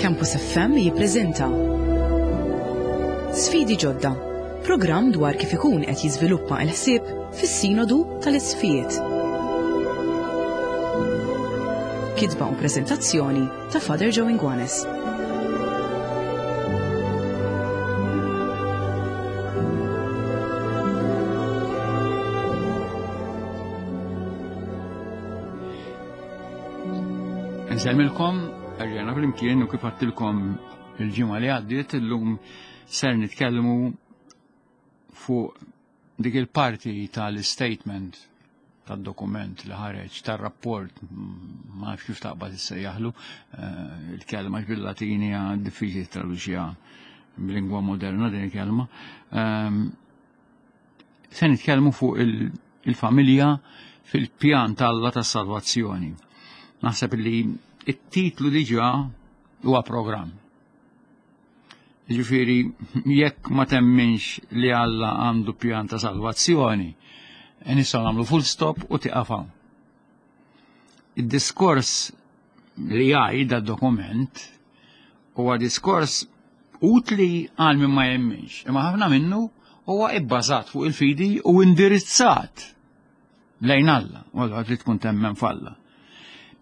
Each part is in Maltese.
Campus FM jippreżenta Sfidi ġodda, programm dwar kif ikun qed jiżviluppa l-ħsieb fis-Sinodu tal-Isqfijiet. Kitba u preżentazzjoni ta' Father Joe Inguanes. Nsellmilkom, erġajna flimkien u kif għattilkom il-ġimgħa li għaddiet illum ser nitkellmu fuq dik il-parti tal-statement tad-dokument li ħareġ tar-rapport ma nafx kif taqbad issejjaħlu eh, il-kelma bil-Latini diffiċli traduċiha b'lingwa moderna din il-kelma. Ehm, se nitkellmu fuq il-familja fil-pjan tal-Alla tas-salvazzjoni. Naħseb li it-titlu diġà huwa programm. Ġifieri, jekk ma temminx li Alla għandu pjan ta' salvazzjoni, nistgħu nagħmlu full stop u tieqaf hawn. Id-diskors li jgħid dokument huwa diskors utli għal min ma jemminx, imma ħafna minnu huwa ibbażat fuq il-fidi u indirizzat lejn Alla, u allura trid tkun temmen f'Alla.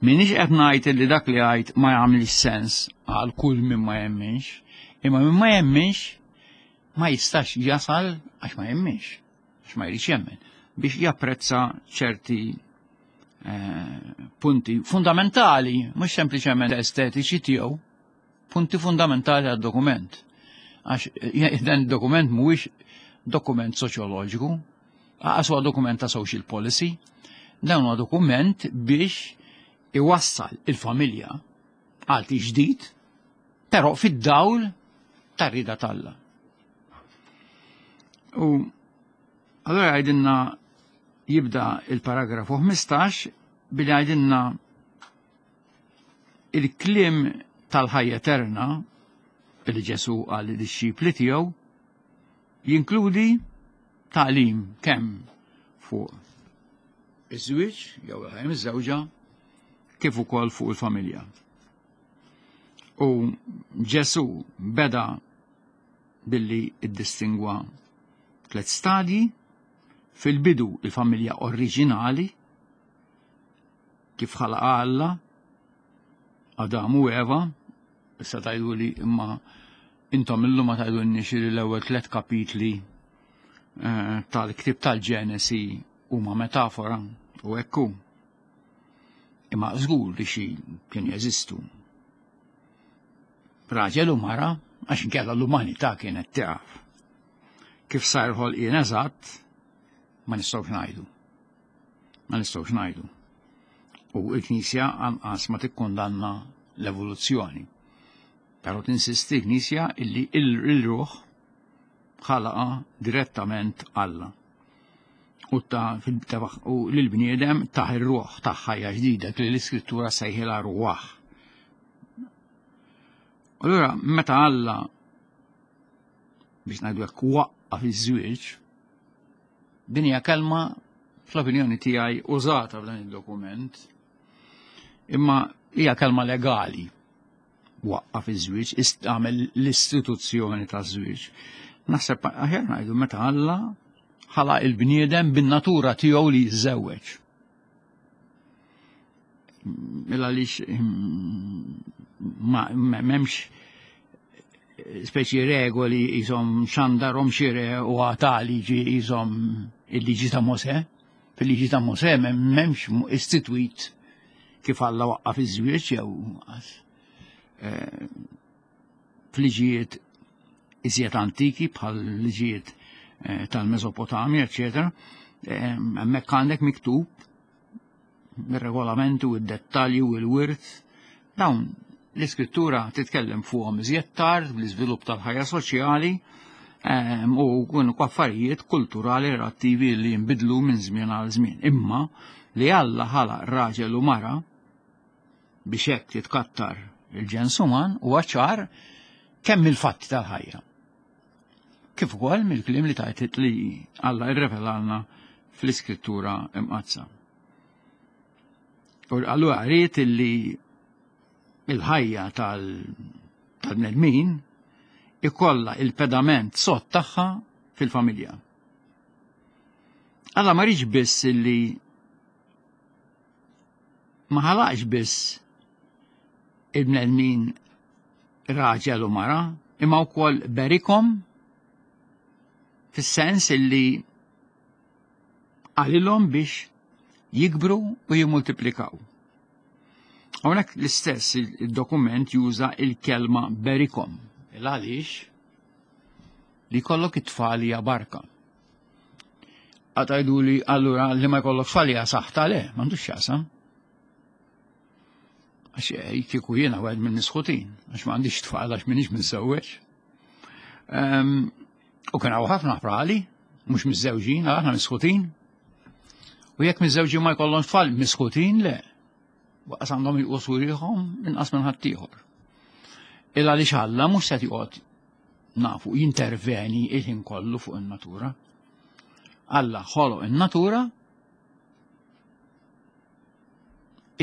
Minix qed ngħid li dak li għid ma jagħmilx sens għal kull min ma jemminx, imma min ma jemminx ma jistax jasal għax ma jemminx, għax ma jridx jemmen, biex japprezza ċerti eh, punti fundamentali, mhux sempliċement estetiċi tiegħu, punti fundamentali għad-dokument. Għax eh, dan dokument mhuwiex dokument soċjoloġiku, għas huwa dokument ta' social policy, dan huwa dokument biex iwassal il-familja għal ġdid, però fid-dawl tar-rida t'Alla. U allora għajdinna jibda il-paragrafu 15 billi għajdinna Il-kliem tal-ħajja eterna li Ġesù qal lid-dixxipli tiegħu jinkludi tagħlim kemm fuq iż-żwieġ jew il-ħajja miżżewġa kif ukoll fuq il-familja. U Ġesù beda billi iddistingwa tliet stadji fil-bidu il-familja oriġinali Kif ħalaqa Alla, Adam u Eva, issa tajdu li imma intom illum ma tgħidulniex li l-ewwel tliet kapitli eh, tal-ktib tal-Ġenesi huma metafora u hekk hu. Imma żgur li xi kien jeżistu. Raġel u mara għax inkella l-umanità kienet tieqaf. Kif sar ħolqien eżatt ma nistgħux ngħidu. Ma nistgħux ngħidu. U l-Knisja anqas ma tikkundanna l-evoluzzjoni. Però tinsisti l-Knisja illi il-ruħ ħalaqa direttament Alla. U ta' u l-bniedem taħ ir-ruħ ta' ħajja ġdida li l-iskrittura sejħilha ruħ. Allura meta Alla biex ngħidu hekk waqqaf iż-żwieġ, Din hija kelma fl-opinjoni tiegħi użata f'dan id-dokument, imma hija kelma legali waqqaf iż-żwieġ, għamel l-istituzzjoni taż-żwieġ. Naħseb aħjar ngħidu meta Alla ħalaq il-bniedem bin-natura tiegħu li jiżżewweġ. Mela għaliex ma m'hemmx speċi regoli jisom xandarom xire u għata liġi jisom il-liġi ta' Mose. Fil-liġi ta' Mose m'hemmx istitwit kif Alla waqqaf iż-żwieġ jew eh, fliġijiet iżjed antiki bħal liġijiet eh, tal-Mesopotamja, eċetera, eh, hemmhekk għandek miktub ir-regolamenti u d-dettalji u l-wirt. Dawn l-iskrittura titkellem fuqhom iżjed tard bl-iżvilupp tal-ħajja soċjali ehm, u kunu affarijiet kulturali relattivi li jinbidlu minn żmien għal żmien. Imma li Alla ħalaq raġel u mara biex hekk jitkattar il-ġens uman huwa ċar kemm il-fatti tal-ħajja. Kif ukoll mill-kliem li tajt li Alla rrevelalna fl-Iskrittura Imqaddsa. U allura rrid illi il-ħajja tal tal-bnedmin ikollha il-pedament sod tagħha fil-familja. Alla ma rridx biss illi ma ħalaqx biss il-bnedmin raġel u mara, imma wkoll berikom fis-sens illi qalilhom biex jikbru u jimmultiplikaw. Hawnhekk l-istess il-dokument juża il-kelma berikom. Il għaliex li jkollok it-tfal hija barka. Għatajdu li allura li ma jkollok tfal hija saħta le, m'għandux x'jaqsam. Għax eh, kieku jiena wieħed minn nisħutin, għax m'għandix tfal għax minix miżżewweġ. Ehm, u kien hawn ħafna prali, mhux miżżewġin, aħna misħutin. U jekk miżżewġin ma jkollhom tfal, misħutin le. Waqas għandhom jqosu rieħhom inqas minn ħaddieħor. Il għaliex Alla mhux se joqgħod nafu jinterveni il-ħin kollu fuq in-natura. Alla ħoloq in-natura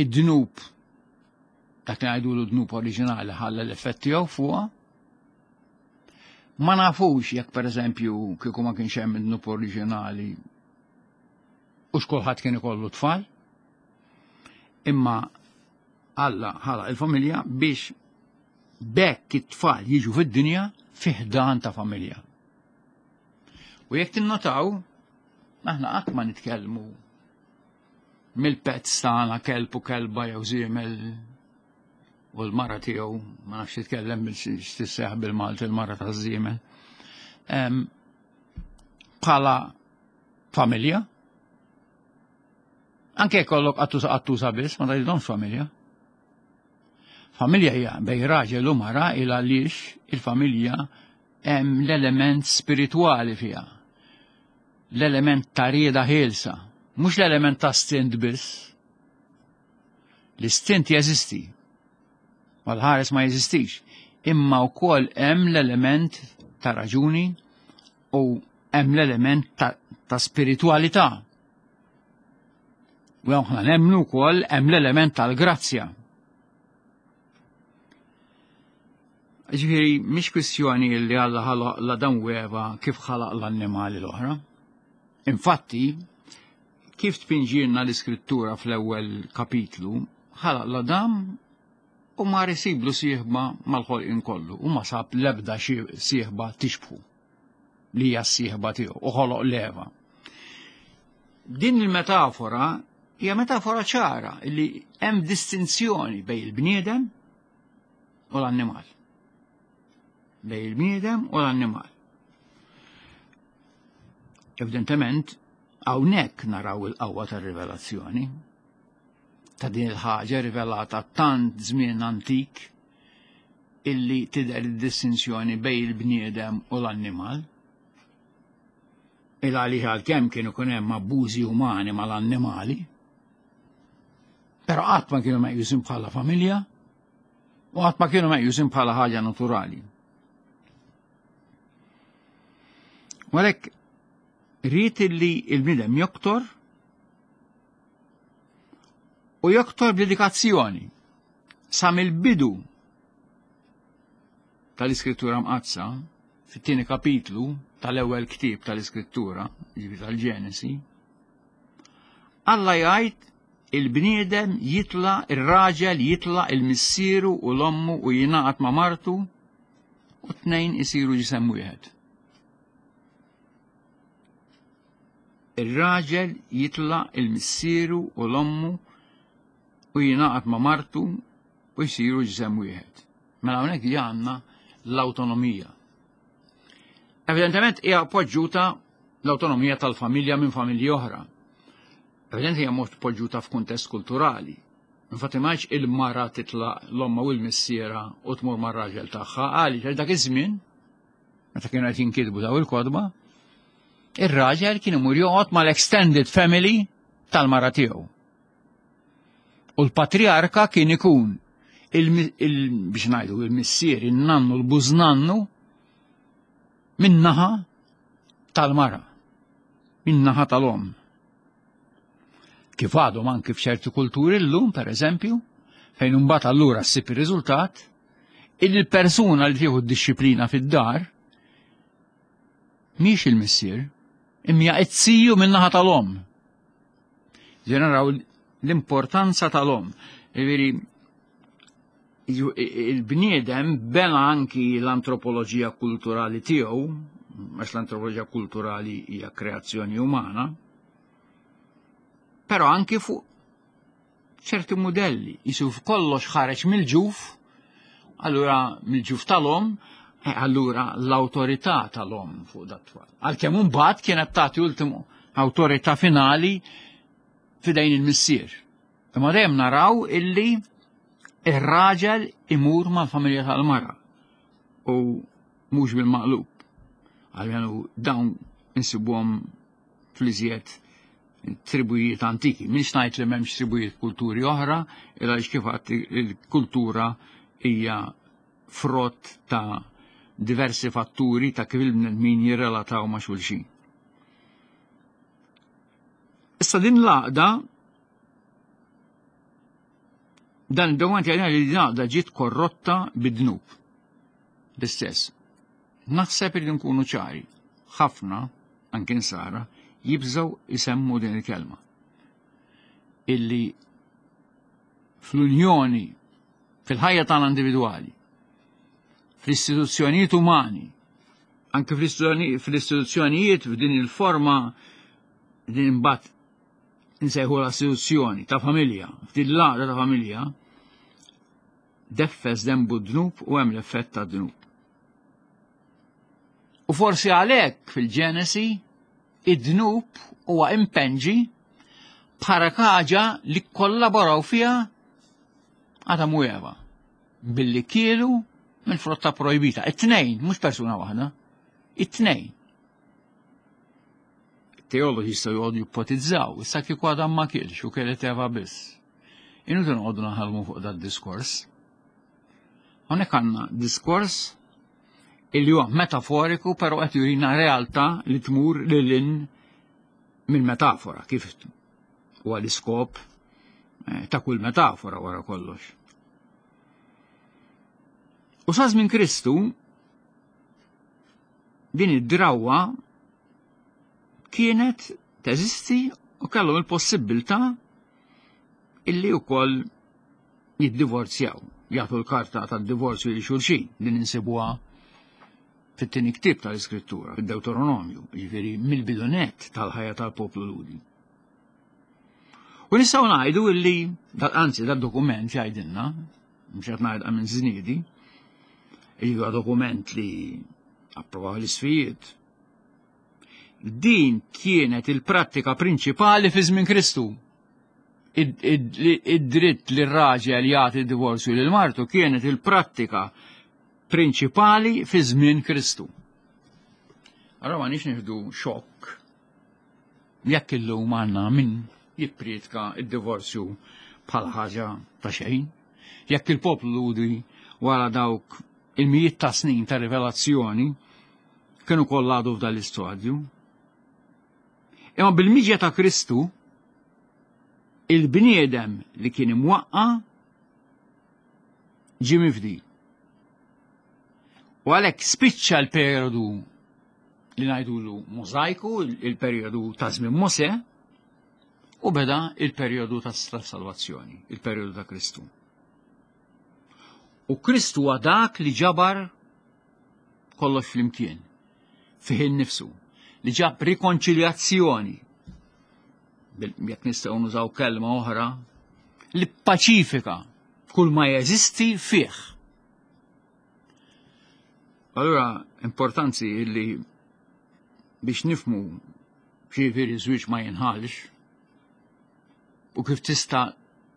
id-dnub dak li ngħidulu dnub oriġinali ħalla l-effett tiegħu fuqha. Ma nafux jekk pereżempju kieku ma kienx hemm id-dnub oriġinali u x'kulħadd kien ikollu tfal. Imma Alla ħalaq il-familja biex bekk it-tfal jiġu fid-dinja fi ħdan ta' familja. U jekk tinnotaw, aħna qatt ma nitkellmu mill-pets tagħna kelb u kelba jew żiemel u l-mara tiegħu ma nafx titkellem x'tisseħ bil-Malti il-mara taż-żiemel. Bħala familja, Anke jkollok qattusa qattusa biss, ma tgħidilhomx familja. Familja hija bej raġel u mara il għaliex il-familja hemm l-element spiritwali fiha. L-element ta' rieda ħielsa, mhux l-element ta' stint biss. L-istint jeżisti, mal-ħares ma jeżistix, imma wkoll hemm l-element ta' raġuni u hemm l-element ta', ta spiritualità. U aħna nemmnu wkoll hemm l-element tal-grazzja. Ġifieri mhix kwistjoni li Alla ħalaq l-Adam u Eva kif ħalaq l-annimali l-oħra. Infatti, kif tpinġilna l-iskrittura fl-ewwel kapitlu, ħalaq l-Adam u ma risiblu sieħba mal-ħolqien kollu u ma sab l-ebda sieħba tixbħu. li hija s-sieħba tiegħu u ħoloq l-Eva. Din il-metafora hija metafora ċara li hemm distinzjoni bejn il-bniedem u l-annimal. Bejn il-bniedem u l-annimal. Evidentement, hawnhekk naraw il-qawwa tar-rivelazzjoni ta' din il-ħaġa rivelata tant żmien antik illi tidher id-distinzjoni bejn il-bniedem u l-annimal. Il għalih għalkemm kienu kun hemm abbużi umani mal-annimali, però qatt ma kienu meqjusin bħala familja u qatt ma kienu meqjusin bħala ħaġa naturali. U għalhekk rrid illi il-bniedem joktor u joktor b'dedikazzjoni Sa mill-bidu tal-Iskrittura Mqaddsa, fit-tieni kapitlu tal-ewwel ktieb tal-Iskrittura, ġifi tal-Ġenesi, Alla jgħid il-bniedem jitla, ir-raġel jitla il-missieru u l-ommu u jingħaqad ma' martu u tnejn isiru ġisem wieħed. Ir-raġel jitla il-missieru u l-ommu u jingħaqad ma' martu u jsiru ġisem wieħed. Mela hawnhekk hija għandna l-awtonomija. Evidentement hija poġġuta l-awtonomija tal-familja minn familji oħra. Evidenti hija mod poġġuta f'kuntest kulturali. Infatti ma il-mara titlaq l-omma u l-missiera u tmur mar-raġel tagħha għaliex għal dak iż-żmien meta kienu qed jinkitbu daw il-kodba, ir-raġel kien imur joqgħod mal-extended family tal-mara tiegħu. U l-patriarka kien ikun biex ngħidu il-missier, in-nannu, l-bużnannu min-naħa tal-mara, min-naħa tal-om. Kif għadhom anki f'ċerti kulturi llum, per eżempju, fejn imbagħad allura ssib ir-riżultat. Il-persuna li tieħu d-dixxiplina fid-dar mhix il-missier, imma it-siju min-naħa tal-omm. Ġeneraw l-importanza tal-omm. Jiġifieri il-bniedem bena anki l-antropoloġija kulturali tiegħu, għax l-antropoloġija kulturali hija kreazzjoni umana, però anki fuq ċerti mudelli, jisu kollox ħareġ mill-ġuf, allura mill-ġuf tal-om, eh, allura l-autorità tal-om fuq dat-tfal. Għalkemm imbagħad kienet tagħti ultimu awtorità finali fidejn il-missier. Imma dejjem naraw illi ir-raġel imur mal-familja tal-mara u mhux bil-maqlub. Għalmenu dawn insibuhom fl-iżjed tribujiet antiki. Minx ngħid li m'hemmx tribujiet kulturi oħra, illa kif il-kultura hija frott ta' diversi fatturi ta' kif il-bnedmin jirrelataw ma' xulxin. Issa din l-għaqda dan id-dokument jgħidna li din l-għaqda ġiet korrotta bid-dnub. L-istess. Naħseb li nkunu ċari. Ħafna, anke nsara, jibżgħu isemmu din il-kelma. Illi fl-unjoni, fil-ħajja tagħna individwali, fl-istituzzjonijiet umani, anke fl-istituzzjonijiet f'din il-forma din imbagħad insejħu l-istituzzjoni ta' familja, f'din l-għaqda ta' familja, deffes dembu dnub u hemm l-effett ta' dnub. U forsi għalhekk fil-Ġenesi id-dnub huwa impenġi bħala ħaġa li kollaboraw fiha Adam u Eva billi kielu mill-frotta projbita. It-tnejn, mhux persuna waħda. It-tnejn. Teologi jistgħu joqogħdu jippotizzaw, issa kieku Adam ma kielx u kielet Eva biss. Inuti noqogħdu naħalmu fuq dat diskors. Hawnhekk għandna diskors illi huwa metaforiku però qed jurina realtà li tmur lil hinn mill-metafora kif huwa l-iskop eh, ta' kull metafora wara kollox. U sa żmien Kristu din id-drawwa kienet teżisti u kellhom il-possibilità illi wkoll jiddivorzjaw, jagħtu l-karta tad-divorzju li xulxin li ninsibuha fit-tieni ktieb tal-Iskrittura, fid-Deuteronomju, jiġifieri mill-bidunet tal-ħajja tal-poplu Lhudi. U nistgħu ngħidu illi, anzi dad-dokument jgħidilna, mhux qed ngħidha minn żniedi, huwa dokument li approvaw l-isfijiet. Din kienet il-prattika prinċipali fi żmien Kristu. Id-dritt li r-raġel jagħti divorzju lil martu kienet il-prattika prinċipali fi żmien Kristu. Allora ma nix nieħdu xokk jekk illum għandna min jippriedka id-divorzju bħala ħaġa ta' xejn. Jekk il-poplu Lhudi wara dawk il-mijiet ta' snin ta' rivelazzjoni kienu kollha għadu f'dan l-istadju. Imma bil-miġja ta' Kristu il-bniedem li kien imwaqqa ġie mifdi. U għalhekk spiċċa l-perjodu li ngħidulu Mosaiku, il-perjodu ta' żmien Mosè, u beda il-perjodu ta' salvazzjoni, il-perjodu ta' Kristu. U Kristu huwa dak li ġabar kollox flimkien, fih innifsu, li ġab rikonċiljazzjoni, jekk nistgħu nużaw kelma oħra, li paċifika kull ma jeżisti fih. Allura, importanti li biex nifmu ġifieri żwieġ ma jinħalx u kif tista'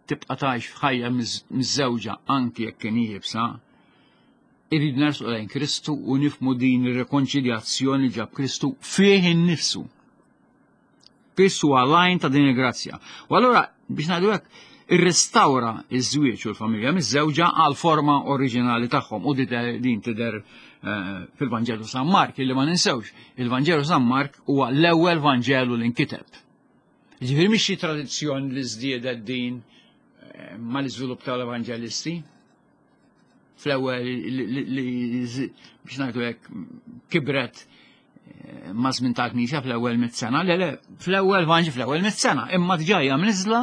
tibqa' tgħix f'ħajja miżżewġa anki jekk kien iebsa, irrid nersqu lejn Kristu u nifmu din ir-rekonċiljazzjoni ġab Kristu fih innifsu. Kristu għalajn ta' din il-grazzja. U allura biex ngħidu hekk, irrestawra iż-żwieġ u l-familja miż-żewġa għal forma oriġinali tagħhom u din tidher eh, fil-Vanġelu San Mark illi ma ninsewx, il-Vanġelu San Mark huwa l-ewwel Vanġelu li nkiteb. Ġifieri mhix xi tradizzjoni li żdiedet din eh, mal-iżvilupp tal-Evanġelisti. fl-ewwel li biex ngħidu hekk kibret eh, ma' żmien tal-Knisja fl-ewwel mit-sena, le le, fl-ewwel vanġi fl-ewwel mit-sena, imma diġà hija mniżla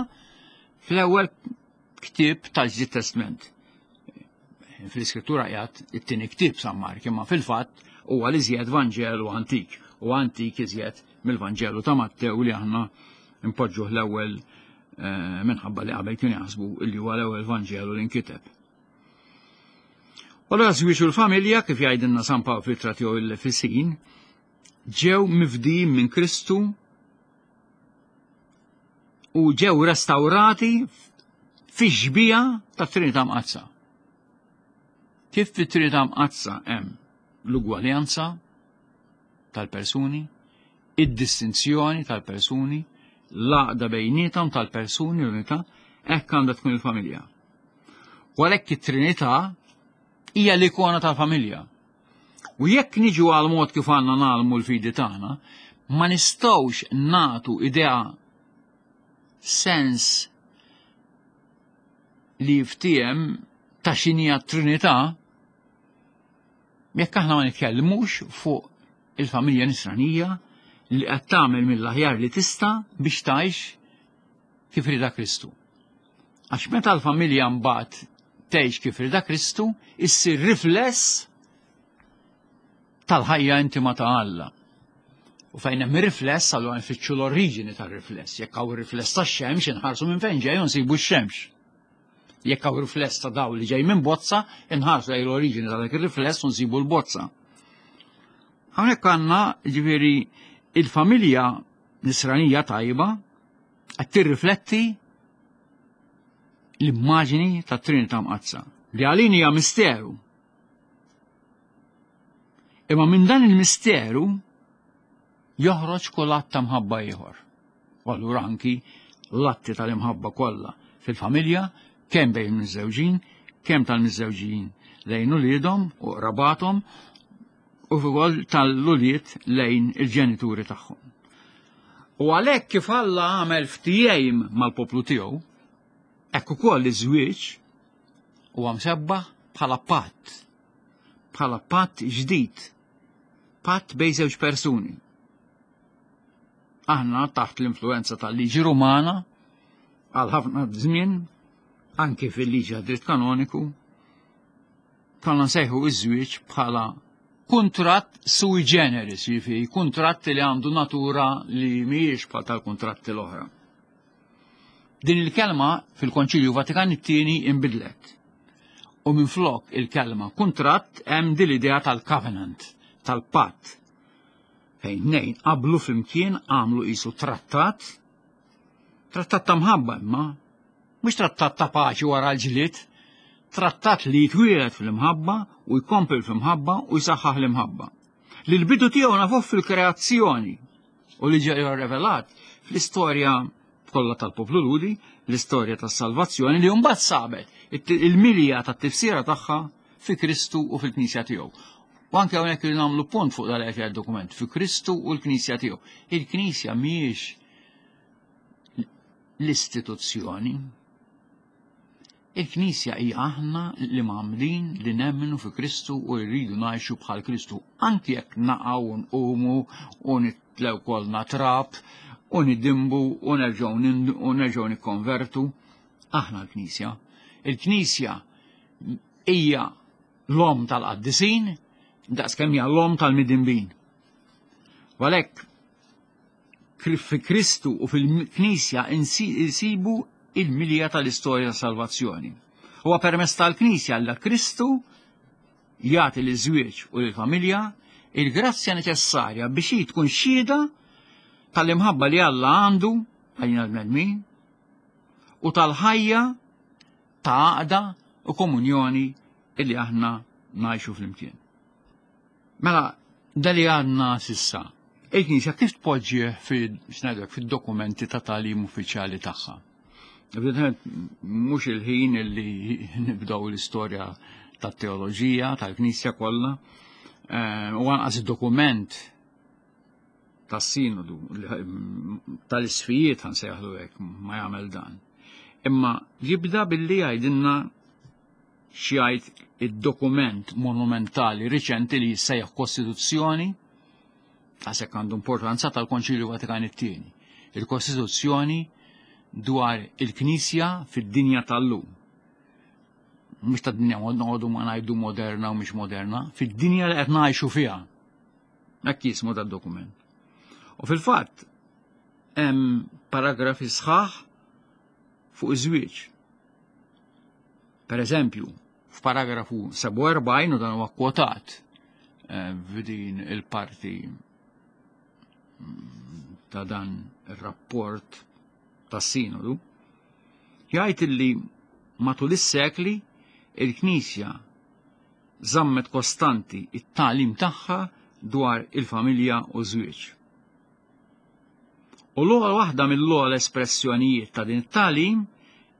fl-ewwel ktieb tal-Ġdid Testment. Fl-Iskrittura qiegħed it-tieni ktieb San Mark, imma fil-fatt huwa li żjed Vanġelu antik u antik iżjed mill-Vanġelu ta' Mattew li aħna npoġġuh l-ewwel eh, minħabba li qabel kienu jaħsbu li huwa l-ewwel Vanġelu li nkiteb. U allura żwieġ u l-familja kif jgħidilna San Pawl fl-ittra tiegħu l-Efesin ġew mifdijin minn Kristu u ġew restawrati fi xbija ta' Trinità Mqaddsa. Kif fit-Trinità Mqaddsa hemm l-ugwaljanza tal-persuni, id-distinzjoni tal-persuni, l-għaqda bejnietom tal-persuni l-unità, hekk għandha tkun il-familja. U għalhekk it-Trinità hija l-ikona tal-familja. U jekk niġu għal mod kif għandna nagħlmu l-fidi tagħna, ma nistgħux nagħtu idea sens li jiftiem ta' xinija t-Trinità jekk aħna ma nitkellmux fuq il-familja nisranija li qed tagħmel mill-aħjar li tista' biex tgħix kif rida Kristu. Għax meta l-familja mbagħad tgħix kif rida Kristu, issir rifless tal-ħajja intima ta' Alla. U fejn hemm rifless, allura nfittxu l-oriġini tar-rifless. Jekk hawn rifless tax-xemx, inħarsu minn fejn ġej u nsibu x-xemx. Jekk hawn rifless ta' dawl li ġej minn bozza, inħarsu lejn l-oriġini ta' dak ir-rifless u nsibu l-bozza. Hawnhekk għandna ġifieri il-familja nisranija tajba qed tirrifletti l-immaġini tat-Trinità Mqaddsa li għalin hija misteru. Imma minn dan il-misteru joħroġ kull att ta' mħabba ieħor. U allura anki l-atti tal-imħabba kollha fil-familja, kemm bejn miżżewġin, kemm tal-miżżewġin lejn uliedhom u qrabathom, u ukoll tal-ulied lejn il-ġenituri tagħhom. U għalhekk kif Alla għamel ftijejm mal-poplu tiegħu, hekk ukoll iż-żwieġ huwa msebbaħ bħala patt, bħala patt ġdid, patt bejn żewġ persuni. Aħna taħt l-influenza tal-liġi Rumana għal ħafna żmien, anki fil-liġi għad-dritt kanoniku, konna nsejħu iż-żwieġ bħala kuntratt sui generis, jiġifieri kuntratt li għandu natura li mhijiex bħal tal-kuntratti l-oħra. Din il-kelma fil-Konċilju Vatikan it-tieni inbidlet. U minflok il-kelma kuntratt hemm din l-idea tal-covenant, tal-patt. Fejn tnejn qablu flimkien għamlu qisu trattat, trattat ta' mħabba imma, mhux trattat ta' paċi wara l-ġlied, trattat li jitwieled fl-imħabba u jkompli fl-imħabba u jsaħħaħ l-imħabba. Li l-bidu tiegħu nafuh fil-kreazzjoni u li ġej revelat fl-istorja kollha tal-poplu Lhudi, l-istorja tas-salvazzjoni li mbagħad sabet il-milja tat-tifsira tagħha fi Kristu u fil-Knisja tiegħu. U anke hawnhekk li nagħmlu punt fuq dal qed dokument fi Kristu u l-Knisja tiegħu. Il-Knisja mhijiex l-istituzzjoni. Il-Knisja hija aħna li mgħammdin li nemmnu fi Kristu u rridu ngħixu bħal Kristu, anki jekk naqgħu u nqumu u nitlew kollna trab u nidimbu u nerġgħu u nerġgħu nikkonvertu. Aħna l-Knisja. Il-Knisja hija l-omm tal-qaddisin daqskemm hija l-omm tal-midinbin. U għalhekk fi Kristu u fil-Knisja insibu il-milja tal-istorja ta' salvazzjoni. Huwa permezz tal-Knisja li Kristu jagħti liż-żwieġ u lill-familja il-grazzja neċessarja biex hi tkun xhieda tal-imħabba li Alla għandu għalina l-bnedmin u tal-ħajja ta' għaqda u komunjoni illi aħna ngħixu flimkien. Mela, da li għadna sissa, il-Knisja kif tpoġġih fid-dokumenti ta' tagħlim uffiċjali tagħha? Evidentement, mhux il-ħin li nibdew l-istorja tat-teoloġija tal-Knisja kollha, eh, u anqas id-dokument tas-sinodu tal-isfijiet ħansejħlu hekk ma jagħmel dan. Imma jibda billi jgħidilna. x'jgħid id-dokument monumentali riċenti li jissejjaħ Kostituzzjoni, għasek għandu importanza tal-Konċilju Vatikan it-tieni. Il-Kostituzzjoni dwar il-Knisja fid-dinja tal-lum. Mhux ta' dinja noqogħdu ma ngħidu moderna u mhix moderna, fid-dinja li qed ngħixu fiha. Hekk jismu dad-dokument. U fil-fatt hemm paragrafi sħaħ fuq iż-żwieġ. Per eżempju, f'paragrafu 47 u dan huwa kwotat eh, f'din il-parti mm, ta' dan ir-rapport tas-sinodu, jgħid illi matul is-sekli il-Knisja żammet kostanti it-tagħlim tagħha dwar il-familja u żwieġ. U l-ogħla waħda mill-ogħla espressjonijiet ta' din it-tagħlim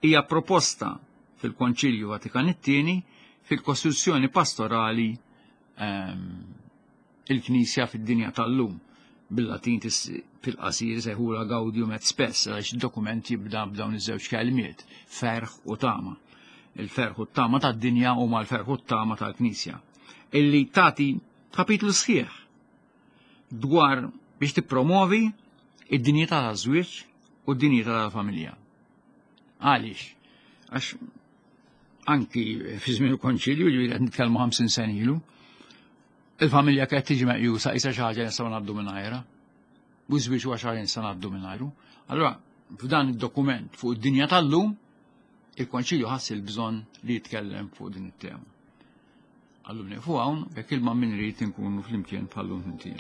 hija proposta fil-Konċilju Vatikan it-Tieni fil-Kostituzzjoni Pastorali ehm, il-Knisja fid-dinja tal-lum. Bil-Latin fil-qasir sejħula Gaudium et Spes, għax dokument jibda b'dawn iż-żewġ kelmiet, ferħ u tama. Il-ferħ u t-tama tad-dinja huma l-ferħ u t-tama tal-Knisja. Illi tagħti kapitlu sħiħ dwar biex tippromovi id-dinjità taż-żwieġ u d-dinjità tal-familja. Għaliex? Għax anki fi żmien il-konċilju li qed nitkellmu 50 sen ilu, il-familja kienet tiġi meqjusa qisha xi ħaġa nistgħu ngħaddu mingħajrha. U żwieġ huwa xi ħaġa nistgħu ngħaddu mingħajru. Allura f'dan id-dokument fuq id-dinja tal-lum, il-konċilju ħass il-bżonn li jitkellem fuq din it-tema. Għallum nieqfu hawn, jekk ilma min irid inkunu flimkien bħallum flimkien.